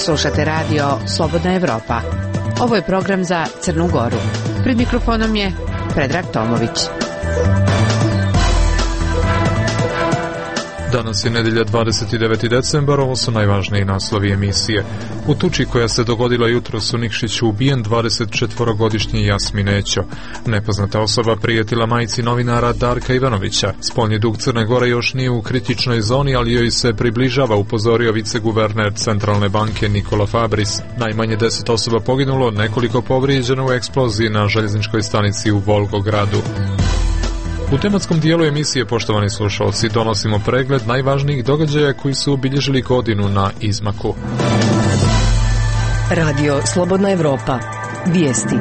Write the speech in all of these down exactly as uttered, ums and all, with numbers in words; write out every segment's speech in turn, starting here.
Slušate radio Slobodna Evropa. Ovo je program za Crnu Goru. Pred mikrofonom je Predrag Tomović. Danas je nedjelja dvadeset deveti decembar, ovo su najvažniji naslovi emisije. U tuči koja se dogodila jutros u Nikšiću ubijen dvadesetčetvorogodišnji Jasmin Ećo. Nepoznata osoba prijetila majci novinara Darka Ivanovića. Spoljni dug Crne Gore još nije u kritičnoj zoni, ali joj se približava, upozorio viceguverner Centralne banke Nikola Fabris. Najmanje deset osoba poginulo, nekoliko povrijeđeno u eksploziji na željezničkoj stanici u Volgogradu. U tematskom dijelu emisije, poštovani slušalci, donosimo pregled najvažnijih događaja koji su obilježili godinu na izmaku. Radio Slobodna Evropa. Vijesti.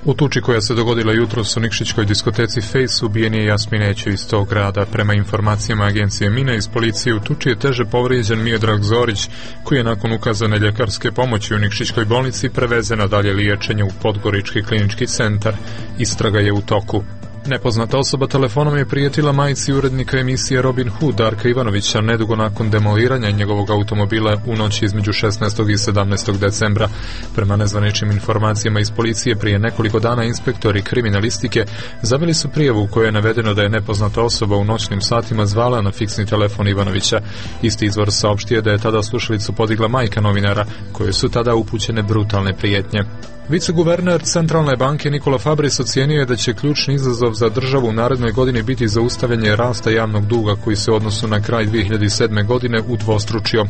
U tuči koja se dogodila jutros u nikšićkoj diskoteci Face ubijen je Jasmin Ećo iz tog grada. Prema informacijama agencije Mina iz policije, u tuči je teže povrijeđen Miodrag Zorić, koji je nakon ukazane ljekarske pomoći u nikšićkoj bolnici prevezen na dalje liječenje u Podgorički klinički centar. Istraga je u toku. Nepoznata osoba telefonom je prijetila majci urednika emisije Robin Hood Darka Ivanovića nedugo nakon demoliranja njegovog automobila u noći između šesnaestog i sedamnaestog decembra. Prema nezvaničnim informacijama iz policije, prije nekoliko dana inspektori kriminalistike zaveli su prijavu u kojoj je navedeno da je nepoznata osoba u noćnim satima zvala na fiksni telefon Ivanovića. Isti izvor saopštio da je tada slušalicu podigla majka novinara, koje su tada upućene brutalne prijetnje. Viceguverner Centralne banke Nikola Fabris ocijenio je da će ključni izazov za državu u narednoj godini biti zaustavljanje rasta javnog duga koji se u odnosu na kraj dvije hiljade sedme. godine udvostručio.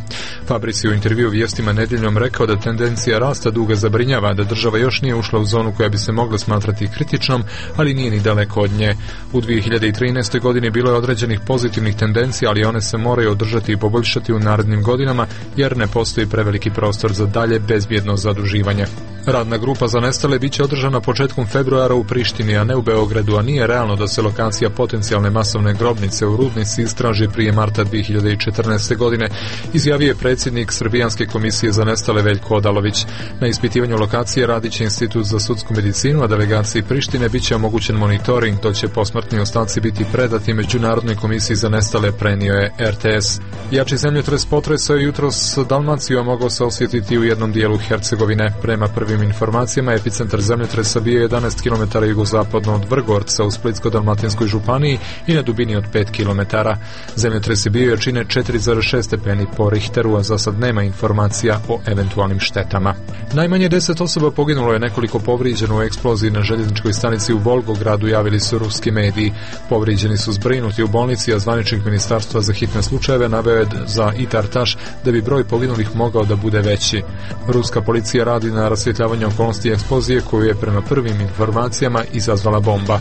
Fabris je u intervju Vijestima nedjeljom rekao da tendencija rasta duga zabrinjava, da država još nije ušla u zonu koja bi se mogla smatrati kritičnom, ali nije ni daleko od nje. U dvije hiljade trinaestoj. godini bilo je određenih pozitivnih tendencija, ali one se moraju održati i poboljšati u narednim godinama, jer ne postoji preveliki prostor za dalje bezbjedno zaduživanje. Radna grupa za nestale bit će održana početkom februara u Prištini, a ne u Beogradu, a nije realno da se lokacija potencijalne masovne grobnice u Rudnici istraži prije marta dvije hiljade četrnaeste. godine, izjavio je predsjednik Srbijanske komisije za nestale Veljko Odalović. Na ispitivanju lokacije radit će Institut za sudsku medicinu, a delegaciji Prištine bit će omogućen monitoring, dok će posmrtni ostaci biti predati Međunarodnoj komisiji za nestale, prenio je R T S. Jači zemljotres potresao je jutros Dalmaciju, a mogao se osjetiti u jednom dijelu Hercegovine. Prema prvim informacijama, epicentar zemljotresa bio je jedanaest kilometara jugozapadno od Vrgorca u Splitsko-dalmatinskoj županiji i na dubini od pet kilometara. Zemljotres je bio jačine četiri zarez šest stepeni po Richteru, a za sad nema informacija o eventualnim štetama. Najmanje deset osoba poginulo je, nekoliko povrijeđeno u eksploziji na željezničkoj stanici u Volgogradu, javili su ruski mediji. Povrijeđeni su zbrinuti u bolnici, a zvaničnik Ministarstva za hitne slučajeve naveo je za Itar-Taš da bi broj poginulih mogao da bude veći. Ruska policija radi na rasvjetljavanju okolnosti eksplozije koju je prema prvim informacijama izazvala bomba.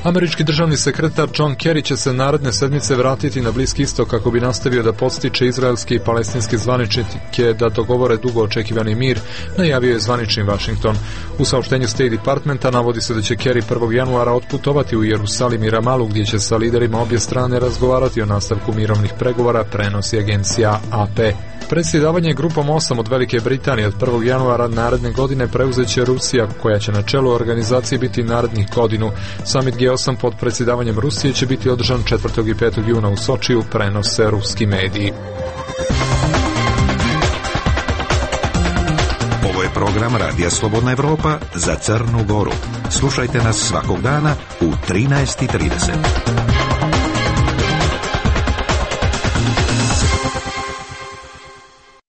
Američki državni sekretar John Kerry će se naredne sedmice vratiti na Bliski istok kako bi nastavio da podstiče izraelske i palestinske zvaničnike da dogovore dugo očekivani mir, najavio je zvanični Washington. U saopštenju State Departmenta navodi se da će Kerry prvog januara otputovati u Jerusalim i Ramalu, gdje će sa liderima obje strane razgovarati o nastavku mirovnih pregovora, prenosi agencija A P. Predsjedavanje grupom osam od Velike Britanije od prvog januara naredne godine preuzet će Rusija, koja će na čelu organizacije biti narednih godinu. Summit G osam pod predsjedavanjem Rusije će biti održan četvrtog i petog juna u Sočiju, prenose ruski mediji. Ovo je program Radija Slobodna Evropa za Crnu Goru. Slušajte nas svakog dana u trinaest i trideset.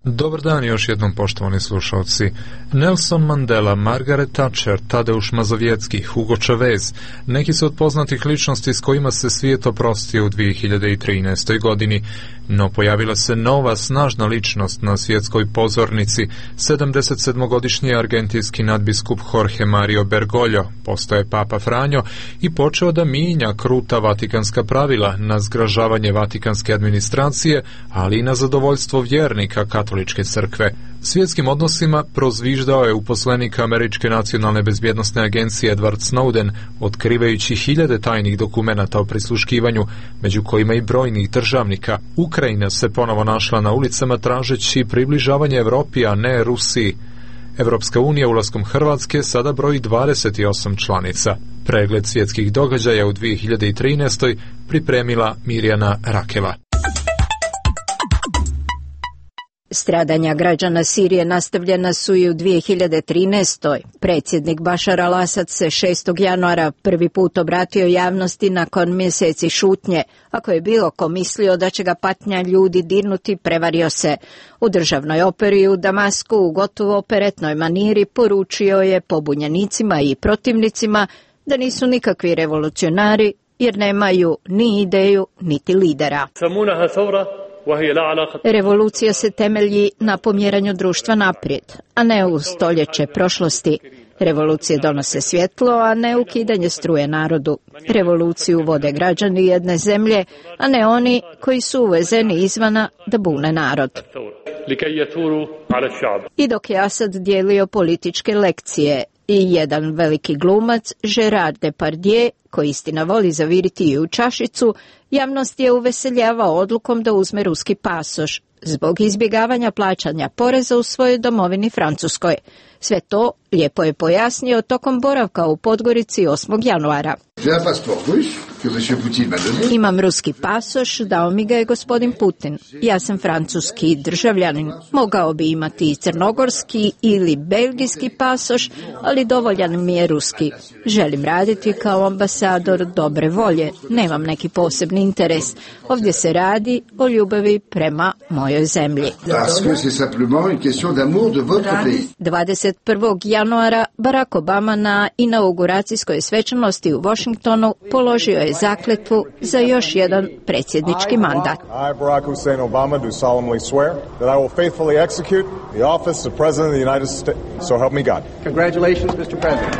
Dobar dan još jednom, poštovani slušalci. Nelson Mandela, Margaret Thatcher, Tadeusz Mazowiecki, Hugo Chavez, neki su od poznatih ličnosti s kojima se svijet oprostio u dvije hiljade trinaestoj. godini. No pojavila se nova snažna ličnost na svjetskoj pozornici. sedamdesetsedmogodišnji argentinski nadbiskup Jorge Mario Bergoglio postaje Papa Franjo i počeo da mijenja kruta vatikanska pravila na zgražavanje vatikanske administracije, ali i na zadovoljstvo vjernika katoličke crkve. Svjetskim odnosima prozviždao je uposlenik Američke nacionalne bezbjednosne agencije Edward Snowden, otkrivajući hiljade tajnih dokumenata o prisluškivanju, među kojima i brojnih državnika. Ukrajina se ponovo našla na ulicama tražeći približavanje Evropi, a ne Rusiji. Evropska unija ulaskom Hrvatske sada broji dvadeset osam članica. Pregled svjetskih događaja u dvije hiljade trinaestoj. pripremila Mirjana Rakela. Stradanja građana Sirije nastavljena su i u dvije hiljade trinaestoj. Predsjednik Bašar al-Asad se šestog januara prvi put obratio javnosti nakon mjeseci šutnje. Ako je bilo ko mislio da će ga patnja ljudi dirnuti, prevario se. U državnoj operi u Damasku u gotovo operetnoj maniri poručio je pobunjenicima i protivnicima da nisu nikakvi revolucionari jer nemaju ni ideju niti lidera. Revolucija se temelji na pomjeranju društva naprijed, a ne u stoljeće prošlosti. Revolucije donose svjetlo, a ne ukidanje struje narodu. Revoluciju vode građani jedne zemlje, a ne oni koji su uvezeni izvana da bune narod. I dok je Asad dijelio političke lekcije, i jedan veliki glumac, Gerard Depardieu, koji istina voli zaviriti i u čašicu, javnost je uveseljavao odlukom da uzme ruski pasoš zbog izbjegavanja plaćanja poreza u svojoj domovini Francuskoj. Sve to lijepo je pojasnio tokom boravka u Podgorici osmog januara. Imam ruski pasoš, dao mi ga je gospodin Putin. Ja sam francuski državljanin. Mogao bi imati i crnogorski ili belgijski pasoš, ali dovoljan mi je ruski. Želim raditi kao ambasador dobre volje. Nemam neki posebni interes. Ovdje se radi o ljubavi prema mojoj zemlji. dvadeset prvog januara Barack Obama na inauguracijskoj svečanosti u Washingtonu položio je zakletvu za još jedan predsjednički mandat. I, Barack Hussein Obama, do solemnly swear that I will faithfully execute the office of President of the United States. So help me God. Congratulations, mister President.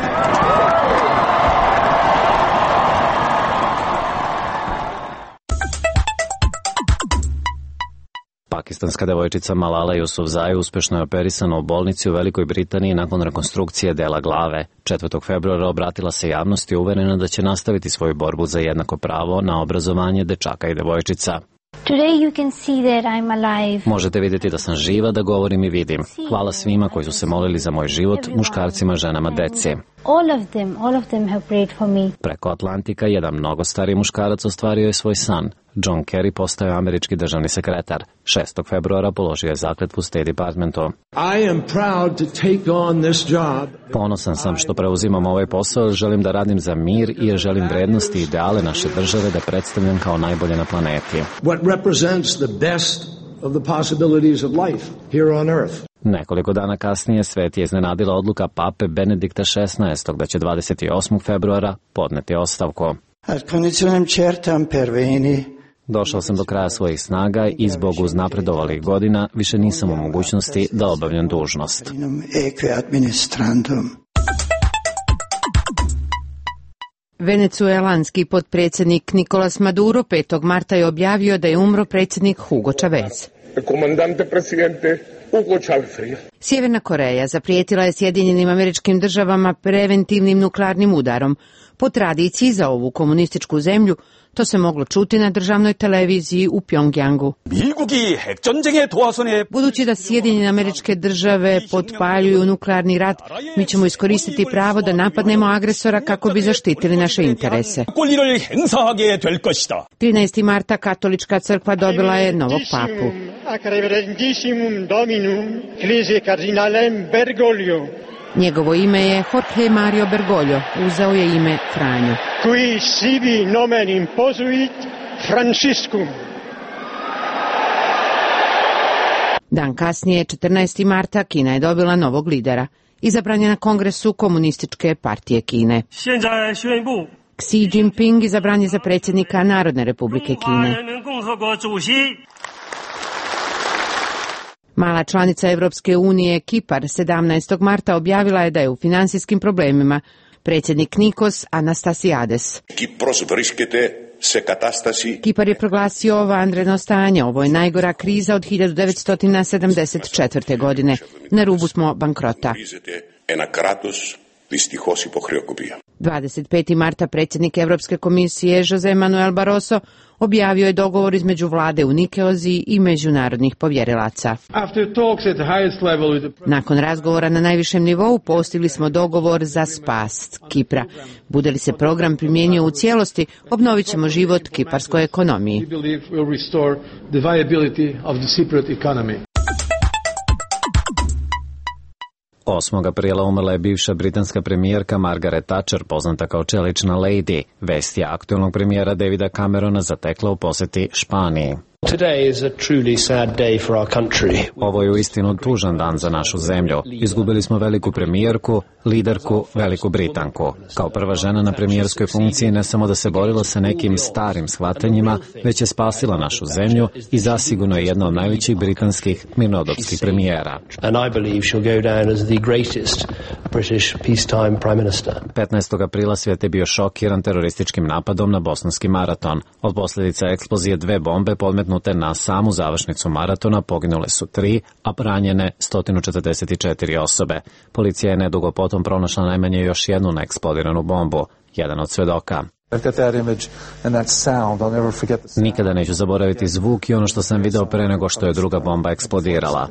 Pakistanska devojčica Malala Yousafzai uspješno je operisana u bolnici u Velikoj Britaniji nakon rekonstrukcije dela glave. četvrtog februara obratila se javnosti uverena da će nastaviti svoju borbu za jednako pravo na obrazovanje dečaka i devojčica. Today you can see that I'm alive. Možete vidjeti da sam živa, da govorim i vidim. Hvala svima koji su se molili za moj život, muškarcima, ženama, deci. All of them, all of them have prayed for me. Preko Atlantika jedan mnogo stariji muškarac ostvario je svoj san. John Kerry postao je američki državni sekretar. šestog februara položio je zakletvu State Departmentu. I am proud to take on this job. Ponosan sam što preuzimam ovaj posao, želim da radim za mir i želim vrednosti i ideale naše države da predstavljam kao najbolje na planeti. What represents the best of the possibilities of life here on earth. Nekoliko dana kasnije svet je iznenadila odluka pape Benedikta šesnaestog da će dvadeset osmog februara podneti ostavku. Došao sam do kraja svojih snaga i zbog uznapredovalih godina više nisam u mogućnosti da obavljam dužnost. Venecuelanski potpredsjednik Nicolas Maduro petog marta je objavio da je umro predsjednik Hugo Chavez. Sjeverna Koreja zaprijetila je Sjedinjenim Američkim Državama preventivnim nuklearnim udarom. Po tradiciji za ovu komunističku zemlju to se moglo čuti na državnoj televiziji u Pjongjangu. Budući da Sjedinjene Američke Države potpaljuju nuklearni rat, mi ćemo iskoristiti pravo da napadnemo agresora kako bi zaštitili naše interese. trinaestog marta Katolička crkva dobila je novog papu. Njegovo ime je Jorge Mario Bergoglio, uzeo je ime Franjo. Qui sibi nomen imposuit Franciscum. Dan kasnije, četrnaestog marta, Kina je dobila novog lidera. Izabran je na kongresu Komunističke partije Kine. Xi Jinping izabran je za predsjednika Narodne republike Kine. Mala članica Evropske unije Kipar sedamnaestog marta objavila je da je u financijskim problemima. Predsjednik Nikos Anastasiades. Kipar je proglasio vanredno stanje. Ovo je najgora kriza od hiljadu devetsto sedamdeset četvrte. godine. Na rubu smo bankrota. dvadeset petog marta predsjednik Europske komisije Jose Manuel Barroso objavio je dogovor između vlade u Nikeoziji i međunarodnih povjerilaca. Nakon razgovora na najvišem nivou postigli smo dogovor za spas Kipra. Bude li se program primijenio u cijelosti, obnovit ćemo život kiparskoj ekonomiji. osmog aprila umrla je bivša britanska premijerka Margaret Thatcher, poznata kao čelična lady. Vest je aktuelnog premijera Davida Camerona zatekla u poseti Španiji. Today is a truly sad day for our country. Ovo je uistinu tužan dan za našu zemlju. Izgubili smo veliku premijerku, liderku, veliku Britanku. Kao prva žena na premijerskoj funkciji ne samo da se borila sa nekim starim shvatanjima, već je spasila našu zemlju i zasigurno je jedna od najvećih britanskih mirnodopskih premijera. And I believe she'll go down as the greatest British peacetime prime minister. petnaestog aprila svijet je bio šokiran terorističkim napadom na Bostonski maraton. Od posljedica eksplozije dve bombe podmetnute na samu završnicu maratona poginule su tri, a ranjene sto četrdeset četiri osobe. Policija je nedugo potom pronašla najmanje još jednu neeksplodiranu bombu. Jedan od svedoka: nikada neću zaboraviti zvuk i ono što sam video pre nego što je druga bomba eksplodirala.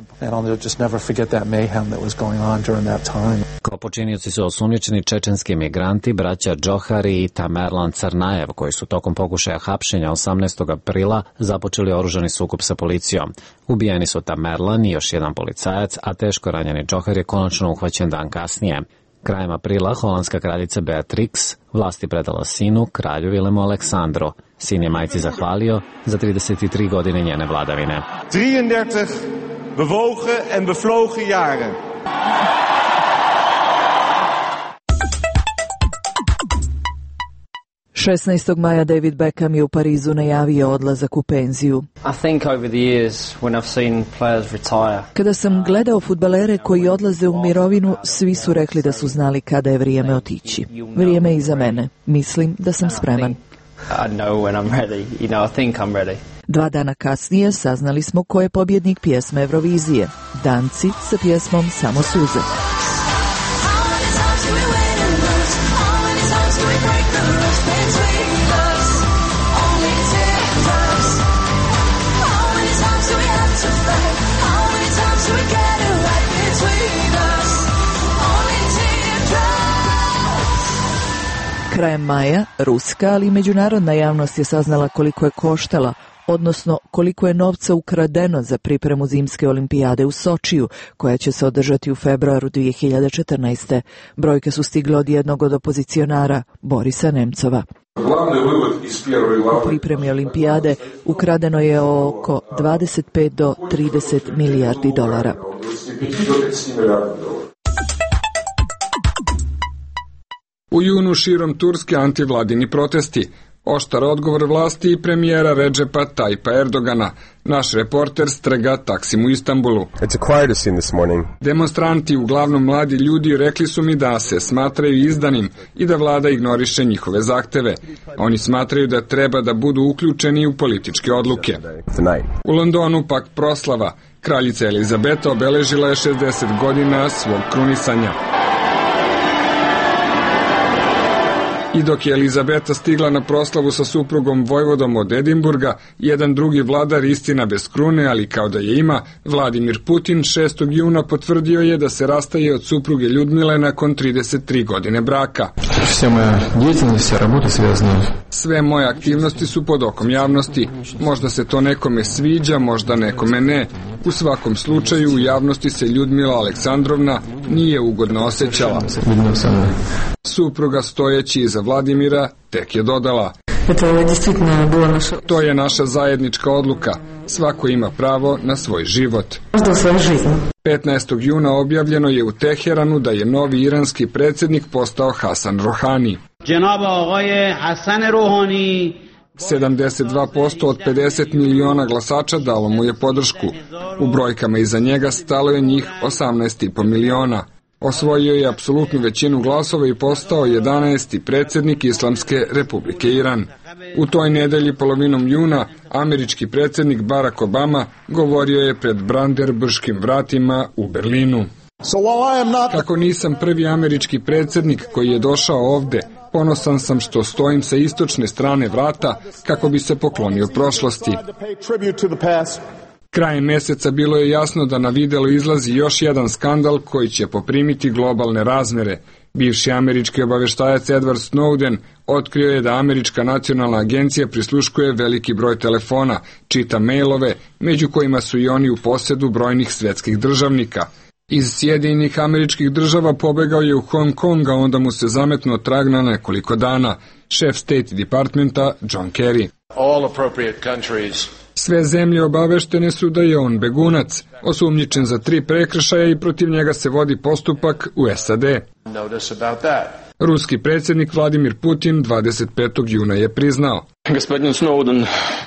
Kao počinioci su osumnjičeni čečenski migranti, braća Džohari i Tamerlan Crnajev, koji su tokom pokušaja hapšenja osamnaestog aprila započeli oružani sukob sa policijom. Ubijeni su Tamerlan i još jedan policajac, a teško ranjeni Džohar je konačno uhvaćen dan kasnije. Krajem aprila holandska kraljica Beatrix vlasti predala sinu, kralju Vilemu Aleksandru. Sin je majci zahvalio za trideset tri godine njene vladavine. drieëndertig bewogen en bevlogen jaren. šesnaestog maja David Beckham je u Parizu najavio odlazak u penziju. Kada sam gledao fudbalere koji odlaze u mirovinu, svi su rekli da su znali kada je vrijeme otići. Vrijeme je iza mene. Mislim da sam spreman. Dva dana kasnije saznali smo ko je pobjednik pjesme Eurovizije. Danci sa pjesmom Samo suze. Krajem maja, ruska, ali i međunarodna javnost je saznala koliko je koštala, odnosno koliko je novca ukradeno za pripremu zimske olimpijade u Sočiju, koja će se održati u februaru dvije hiljade četrnaeste. Brojke su stigle od jednog od opozicionara, Borisa Nemcova. U pripremi olimpijade ukradeno je oko dvadeset pet do trideset milijardi dolara. U junu širom Turske antivladini protesti. Oštar odgovor vlasti i premijera Redžepa Tajpa Erdogana. Naš reporter strega Taksim u Istanbulu. Demonstranti, uglavnom mladi ljudi, rekli su mi da se smatraju izdanim i da vlada ignoriše njihove zahteve. Oni smatraju da treba da budu uključeni u političke odluke. U Londonu pak proslava. Kraljica Elizabeta obeležila je šezdeset godina svog krunisanja. I dok je Elizabeta stigla na proslavu sa suprugom vojvodom od Edinburga, jedan drugi vladar, istina bez krune, ali kao da je ima, Vladimir Putin, šestog juna potvrdio je da se rastaje od supruge Ljudmile nakon trideset tri godine braka. Sve moje aktivnosti su pod okom javnosti. Možda se to nekome sviđa, možda nekome ne. U svakom slučaju u javnosti se Ljudmila Aleksandrovna nije ugodno osjećala. Supruga stojeći iza Vladimira tek je dodala: to je naša zajednička odluka. Svako ima pravo na svoj život. petnaestog juna objavljeno je u Teheranu da je novi iranski predsjednik postao Hasan Rohani. sedamdeset dva posto od pedeset miliona glasača dalo mu je podršku. U brojkama iza njega stalo je njih osamnaest i po miliona. Osvojio je apsolutnu većinu glasova i postao jedanaesti predsjednik Islamske Republike Iran. U toj nedelji polovinom juna američki predsjednik Barack Obama govorio je pred Brandenburškim vratima u Berlinu. Kako nisam prvi američki predsjednik koji je došao ovde, ponosan sam što stojim sa istočne strane vrata kako bi se poklonio prošlosti. Krajem mjeseca bilo je jasno da na videlo izlazi još jedan skandal koji će poprimiti globalne razmere. Bivši američki obaveštajac Edward Snowden otkrio je da američka nacionalna agencija prisluškuje veliki broj telefona, čita mailove, među kojima su i oni u posjedu brojnih svjetskih državnika. Iz Sjedinjenih Američkih Država pobegao je u Hong Kong, a onda mu se zametnuo trag na nekoliko dana. Šef State Departmenta John Kerry. Sve zemlje obaveštene su da je on begunac, osumnjičen za tri prekršaja i protiv njega se vodi postupak u S A D. Ruski predsjednik Vladimir Putin dvadeset petog juna je priznao. Gospodin Snowden.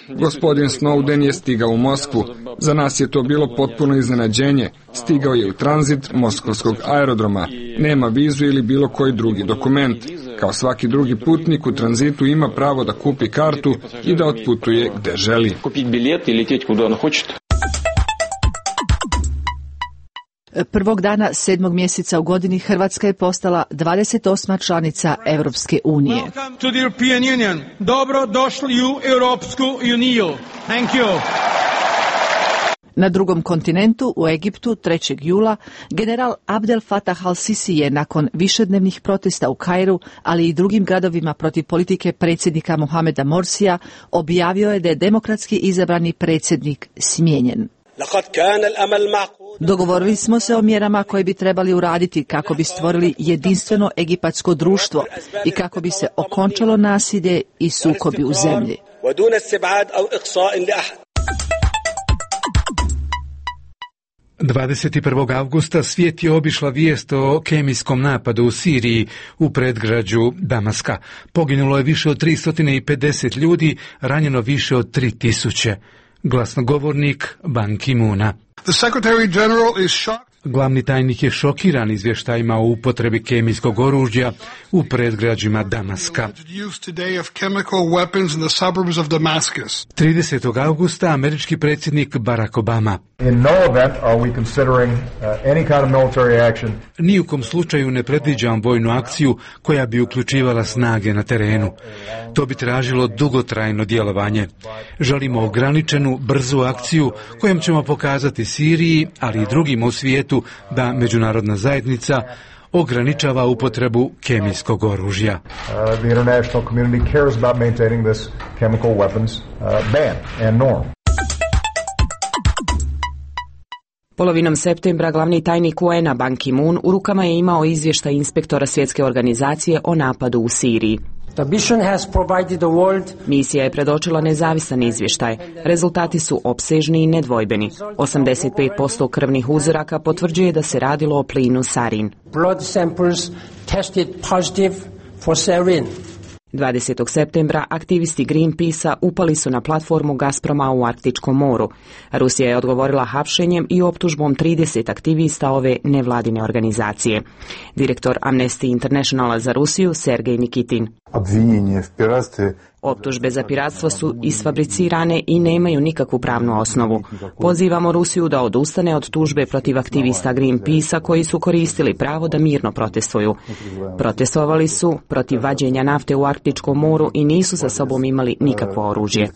Gospodin Snowden je stigao u Moskvu. Za nas je to bilo potpuno iznenađenje. Stigao je u tranzit moskovskog aerodroma. Nema vizu ili bilo koji drugi dokument. Kao svaki drugi putnik u tranzitu ima pravo da kupi kartu i da otputuje gde želi. Prvog dana sedmog mjeseca u godini Hrvatska je postala dvadeset osma članica Europske unije. Dobro došli u Europsku uniju. Thank you. Na drugom kontinentu, u Egiptu, trećeg jula, general Abdel Fattah al-Sisi je nakon višednevnih protesta u Kairu, ali i drugim gradovima protiv politike predsjednika Mohameda Morsija, objavio je da je demokratski izabrani predsjednik smijenjen. Dogovorili smo se o mjerama koje bi trebali uraditi kako bi stvorili jedinstveno egipatsko društvo i kako bi se okončalo nasilje i sukobi u zemlji. dvadeset prvog avgusta svijet je obišla vijest o kemijskom napadu u Siriji u predgrađu Damaska. Poginulo je više od tristo pedeset ljudi, ranjeno više od tri tisuće. Glasnogovornik Ban Ki-moona. Glavni tajnik je šokiran izvještajima o upotrebi kemijskog oružja u predgrađima Damaska. tridesetog avgusta američki predsjednik Barack Obama. Ni u kom slučaju ne predviđam vojnu akciju koja bi uključivala snage na terenu. To bi tražilo dugotrajno djelovanje. Želimo ograničenu, brzu akciju kojom ćemo pokazati Siriji, ali i drugima u svijetu, da međunarodna zajednica ograničava upotrebu kemijskog oružja. Uh, the international community cares about maintaining this chemical weapons uh, ban and norm. Polovinom septembra glavni tajnik U N A Ban Ki-moon u rukama je imao izvještaj inspektora Svjetske organizacije o napadu u Siriji. Misija je predočila nezavisan izvještaj. Rezultati su opsežni i nedvojbeni. osamdeset pet posto krvnih uzoraka potvrđuje da se radilo o plinu sarin. dvadesetog septembra aktivisti Greenpeace-a upali su na platformu Gazproma u Arktičkom moru. Rusija je odgovorila hapšenjem i optužbom trideset aktivista ove nevladine organizacije. Direktor Amnesty Internationala za Rusiju Sergej Nikitin. Optužbe za piratstvo su isfabricirane i nemaju nikakvu pravnu osnovu. Pozivamo Rusiju da odustane od tužbe protiv aktivista Greenpeace-a koji su koristili pravo da mirno protestuju. Protestovali su protiv vađenja nafte u Arktičkom moru i nisu sa sobom imali nikakvo oružje.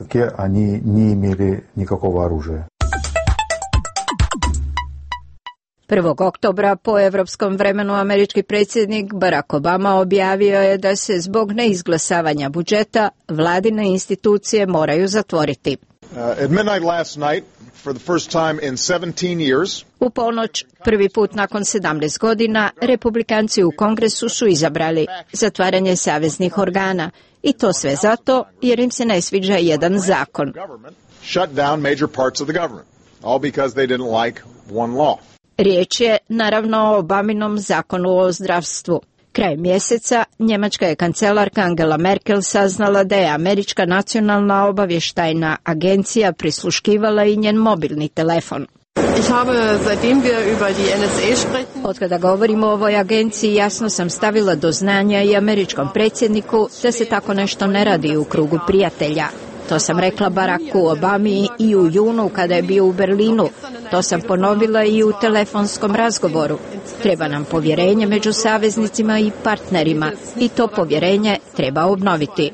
prvog oktobra po evropskom vremenu američki predsjednik Barack Obama objavio je da se zbog neizglasavanja budžeta vladine institucije moraju zatvoriti. U ponoć, prvi put nakon sedamnaest godina, republikanci u Kongresu su izabrali zatvaranje saveznih organa i to sve zato jer im se ne sviđa jedan zakon. Riječ je naravno o Obaminom zakonu o zdravstvu. Krajem mjeseca njemačka je kancelarka Angela Merkel saznala da je američka nacionalna obavještajna agencija prisluškivala i njen mobilni telefon. Otkada govorimo o ovoj agenciji, jasno sam stavila do znanja i američkom predsjedniku da se tako nešto ne radi u krugu prijatelja. To sam rekla Baracku Obami i u junu kada je bio u Berlinu. To sam ponovila i u telefonskom razgovoru. Treba nam povjerenje među saveznicima i partnerima i to povjerenje treba obnoviti.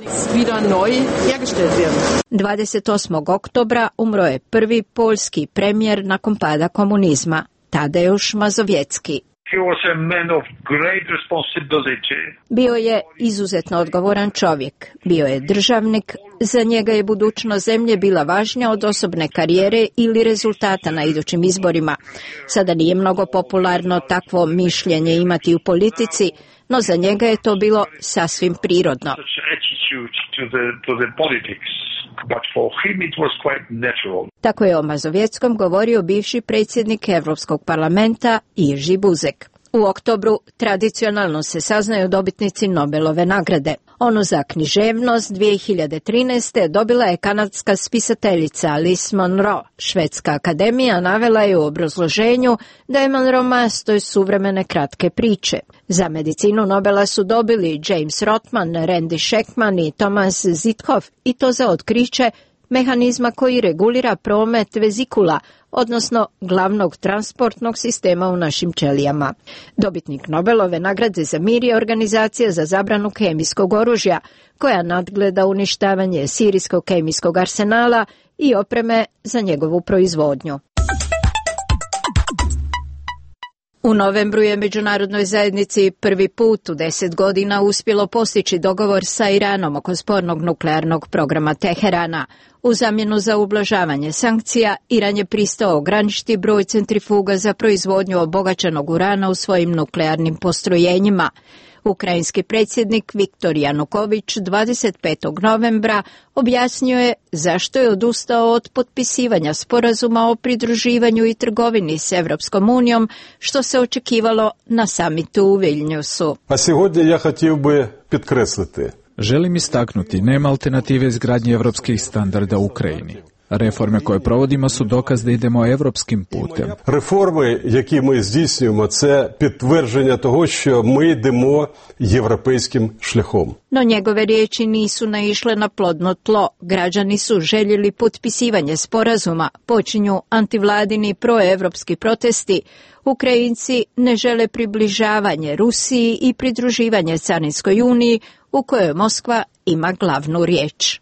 dvadeset osmog oktobra umro je prvi poljski premijer nakon pada komunizma, Tadeusz Mazowiecki. Bio je izuzetno odgovoran čovjek. Bio je državnik. Za njega je budućnost zemlje bila važnija od osobne karijere ili rezultata na idućim izborima. Sada nije mnogo popularno takvo mišljenje imati u politici, no za njega je to bilo sasvim prirodno. Tako je o Mazovjetskom govorio bivši predsjednik Europskog parlamenta Jerzy Buzek. U oktobru tradicionalno se saznaju dobitnici Nobelove nagrade. Onu za književnost dvije hiljade trinaeste. dobila je kanadska spisateljica Alice Munro. Švedska akademija navela je u obrazloženju da je Munro mastoj suvremene kratke priče. Za medicinu Nobela su dobili James Rothman, Randy Sheckman i Thomas Zithoff, i to za otkriće mehanizma koji regulira promet vezikula, odnosno glavnog transportnog sistema u našim ćelijama. Dobitnik Nobelove nagrade za mir je organizacija za zabranu kemijskog oružja, koja nadgleda uništavanje sirijskog kemijskog arsenala i opreme za njegovu proizvodnju. U novembru je međunarodnoj zajednici prvi put u deset godina uspjelo postići dogovor sa Iranom oko spornog nuklearnog programa Teherana. U zamjenu za ublažavanje sankcija, Iran je pristao ograničiti broj centrifuga za proizvodnju obogaćenog urana u svojim nuklearnim postrojenjima. Ukrajinski predsjednik Viktor Januković dvadeset petog novembra objasnio je zašto je odustao od potpisivanja sporazuma o pridruživanju i trgovini s Europskom unijom, što se očekivalo na samitu u Viljnjusu. A сьогодні ja хотів би підкреслити. Želim istaknuti, nema alternative izgradnje evropskih standarda u Ukrajini. Reforme koje provodimo su dokaz da idemo evropskim putem. Реформи, які ми здійснюємо, це підтвердження того, що ми йдемо європейським шляхом. No njegove riječi nisu naišle na plodno tlo. Građani su željeli potpisivanje sporazuma, počinju antivladini proevropski protesti. Ukrajinci ne žele približavanje Rusiji i pridruživanje Carinskoj uniji, u kojoj Moskva ima glavnu riječ.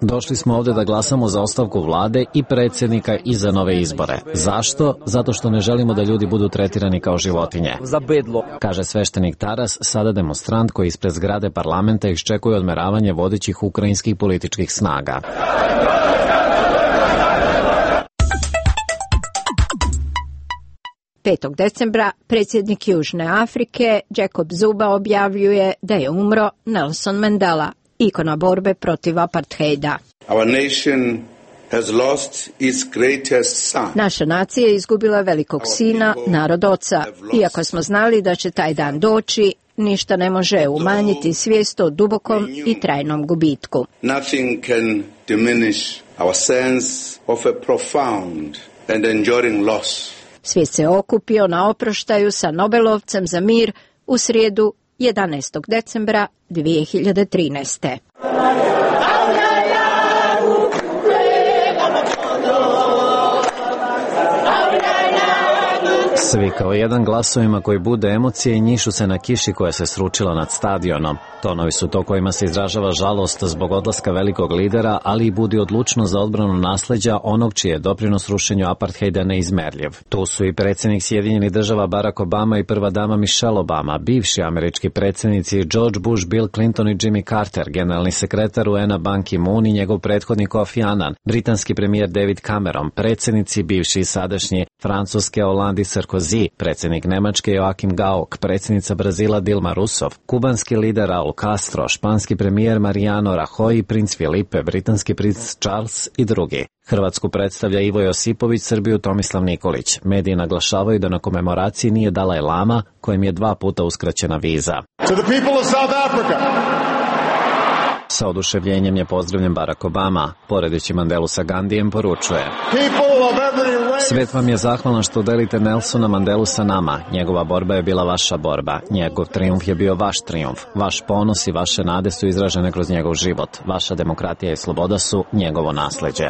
Došli smo ovdje da glasamo za ostavku vlade i predsjednika i za nove izbore. Zašto? Zato što ne želimo da ljudi budu tretirani kao životinje, kaže sveštenik Taras, sada demonstrant koji ispred zgrade parlamenta iščekuje odmeravanje vodećih ukrajinskih političkih snaga. petog decembra predsjednik Južne Afrike Jacob Zuma objavljuje da je umro Nelson Mandela, ikona borbe protiv apartheida. Our nation has lost its greatest son. Naša nacija je izgubila velikog sina, narod oca. Iako smo znali da će taj dan doći, ništa ne može umanjiti svijest o dubokom i trajnom gubitku. Nothing can diminish our sense of a profound and enduring loss. Svijet se okupio na oproštaju sa Nobelovcem za mir u srijedu jedanaestog decembra dvije hiljade trinaeste. Svi kao jedan glasovima koji bude emocije i njišu se na kiši koja se sručila nad stadionom. Tonovi su to kojima se izražava žalost zbog odlaska velikog lidera, ali i budi odlučnost za odbranu nasleđa onog čiji je doprinos rušenju apartheida neizmerljiv. Tu su i predsjednik Sjedinjenih država Barack Obama i prva dama Michelle Obama, bivši američki predsjednici George Bush, Bill Clinton i Jimmy Carter, generalni sekretar U N-a Ban Ki-moon i njegov prethodnik Kofi Annan, britanski premijer David Cameron, predsjednici bivši i sadašnji Francuske Hollande i Sarkozy, predsjednik Nemačke Joachim Gauck, predsjednica Brazila Dilma Rousseff, kubanski lider Raul Castro, španski premijer Mariano Rajoy, princ Filipe, britanski princ Charles i drugi. Hrvatsku predstavlja Ivo Josipović, Srbiju Tomislav Nikolić. Mediji naglašavaju da na komemoraciji nije Dalaj Lama, kojem je dva puta uskraćena viza. To the people of South Africa. Sa oduševljenjem je pozdravljen Barack Obama, poredeći Mandelu sa Gandijem, poručuje: Svet vam je zahvalan što delite Nelsona Mandelu sa nama. Njegova borba je bila vaša borba. Njegov trijumf je bio vaš trijumf. Vaš ponos i vaše nade su izražene kroz njegov život. Vaša demokratija i sloboda su njegovo nasleđe.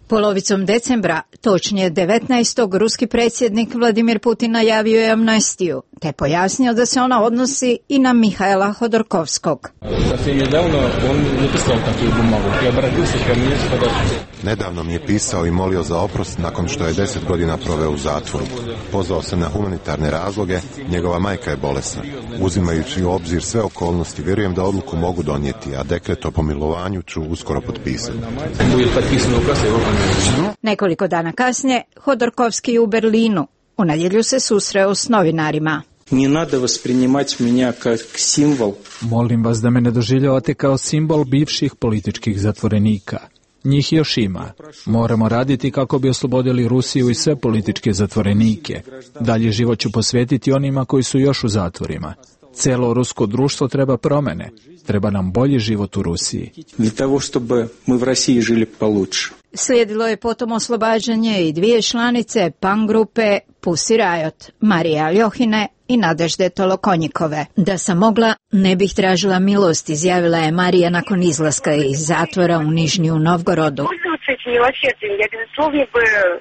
Polovicom decembra, točnije devetnaestog ruski predsjednik Vladimir Putin najavio je amnestiju. te pojasnio da se ona odnosi i na Mihaela Hodorkovskog. Nedavno mi je pisao i molio za oprost nakon što je deset godina proveo u zatvoru. Pozvao se na humanitarne razloge, njegova majka je bolesna. Uzimajući u obzir sve okolnosti, vjerujem da odluku mogu donijeti, a dekret o pomilovanju ću uskoro potpisati. Nekoliko dana kasnije, Hodorkovski u Berlinu. U nedjelju se susreo s novinarima. Не надо воспринимать меня как символ. Molim vas da me ne doživljavate kao simbol bivših političkih zatvorenika. Njih još ima. Moramo raditi kako bi oslobodili Rusiju i sve političke zatvorenike. Dalje život ću posvetiti onima koji su još u zatvorima. Celo rusko društvo treba promene. Treba nam bolji život u Rusiji. Для того, чтобы мы в России жили получше. Slijedilo je potom oslobađanje i dvije članice punk grupe Pussy Riot, Marije Aljohine i Nadežde Tolokonjikove. Da sam mogla, ne bih tražila milost, izjavila je Marija nakon izlaska iz zatvora u Nižnju Novgorodu.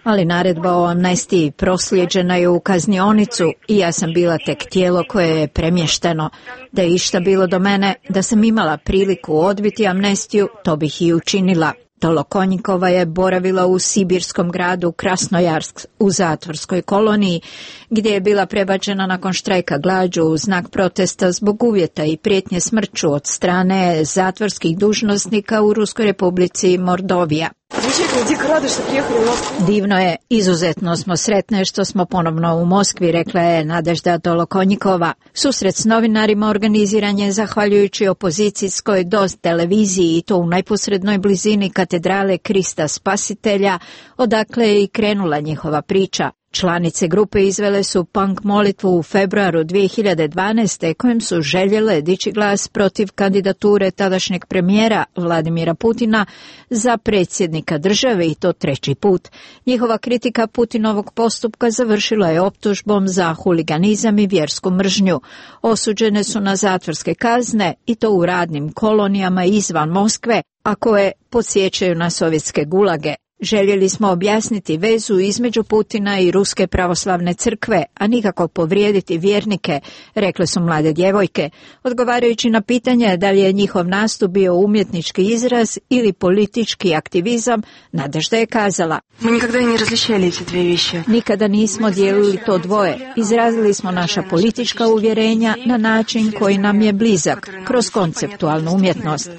Ali naredba o amnestiji proslijeđena je u kaznionicu i ja sam bila tek tijelo koje je premješteno. Da je išta bilo do mene, da sam imala priliku odbiti amnestiju, to bih i učinila. Tolokonjikova je boravila u sibirskom gradu Krasnojarsk u zatvorskoj koloniji, gdje je bila prebačena nakon štrajka glađu u znak protesta zbog uvjeta i prijetnje smrću od strane zatvorskih dužnosnika u Ruskoj republici Mordovija. Divno je, izuzetno smo sretne što smo ponovno u Moskvi, rekla je Nadežda Tolokonjikova. Susret s novinarima organiziran je zahvaljujući opozicijskoj DOS televiziji i to u najposrednoj blizini katedrale Krista Spasitelja, odakle je i krenula njihova priča. Članice grupe izvele su punk molitvu u februaru dvije hiljade dvanaeste kojim su željele dići glas protiv kandidature tadašnjeg premijera Vladimira Putina za predsjednika države i to treći put. Njihova kritika Putinovog postupka završila je optužbom za huliganizam i vjersku mržnju. Osuđene su na zatvorske kazne i to u radnim kolonijama izvan Moskve, a koje podsjećaju na sovjetske gulage. Željeli smo objasniti vezu između Putina i Ruske pravoslavne crkve, a nikako povrijediti vjernike, rekle su mlade djevojke, odgovarajući na pitanje da li je njihov nastup bio umjetnički izraz ili politički aktivizam. Nadežda je kazala: nikada nismo dijelili to dvoje. Izrazili smo naša politička uvjerenja na način koji nam je blizak, kroz konceptualnu umjetnost.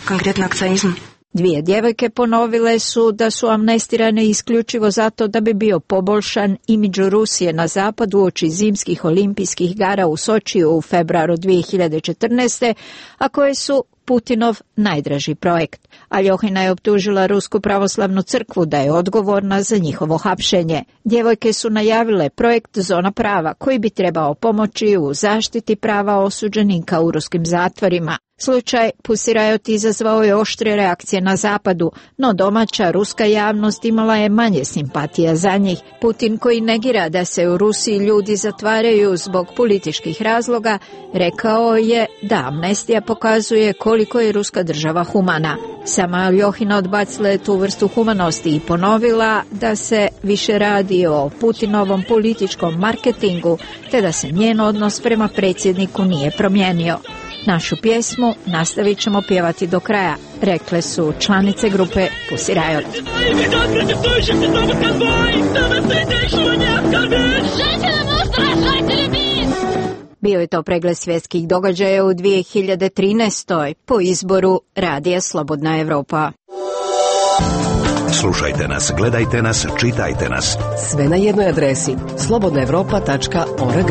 Dvije djevojke ponovile su da su amnestirane isključivo zato da bi bio poboljšan imidž Rusije na zapadu uoči zimskih olimpijskih igara u Sočiju u februaru dvije hiljade četrnaeste, a koje su Putinov najdraži projekt. Aljohina je optužila Rusku pravoslavnu crkvu da je odgovorna za njihovo hapšenje. Djevojke su najavile projekt Zona prava, koji bi trebao pomoći u zaštiti prava osuđenika u ruskim zatvorima. Slučaj Pussy Riot izazvao je oštre reakcije na zapadu, no domaća ruska javnost imala je manje simpatija za njih. Putin, koji negira da se u Rusiji ljudi zatvaraju zbog političkih razloga, rekao je da amnestija pokazuje koliko je ruska država humana. Sama Aljohina odbacila je tu vrstu humanosti i ponovila da se više radi o Putinovom političkom marketingu, te da se njen odnos prema predsjedniku nije promijenio. Našu pjesmu nastavit ćemo pjevati do kraja, rekle su članice grupe Pussy Riot. Bio je to pregled svjetskih događaja u dvije hiljade trinaestoj po izboru Radija Slobodna Evropa. Slušajte nas, gledajte nas, čitajte nas. Sve na jednoj adresi slobodna evropa tačka org.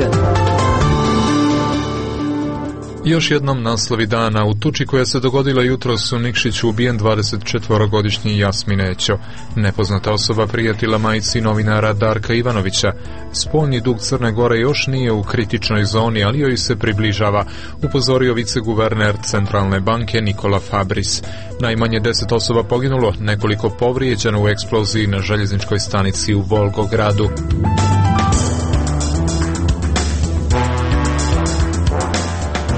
Još jednom naslovi dana. U tuči koja se dogodila jutros u Nikšiću ubijen dvadesetčetvorogodišnji Jasmin Ećo. Nepoznata osoba prijatila majci novinara Darka Ivanovića. Spoljni dug Crne Gore još nije u kritičnoj zoni, ali joj se približava, upozorio viceguverner Centralne banke Nikola Fabris. Najmanje deset osoba poginulo, nekoliko povrijeđeno u eksploziji na željezničkoj stanici u Volgogradu.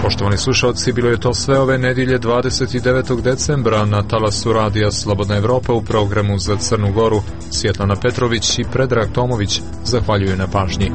Poštovani slušalci, bilo je to sve ove nedjelje dvadeset devetog decembra na talasu Radija Slobodna Evropa u programu za Crnu Goru. Svjetlana Petrović i Predrag Tomović zahvaljuju na pažnji.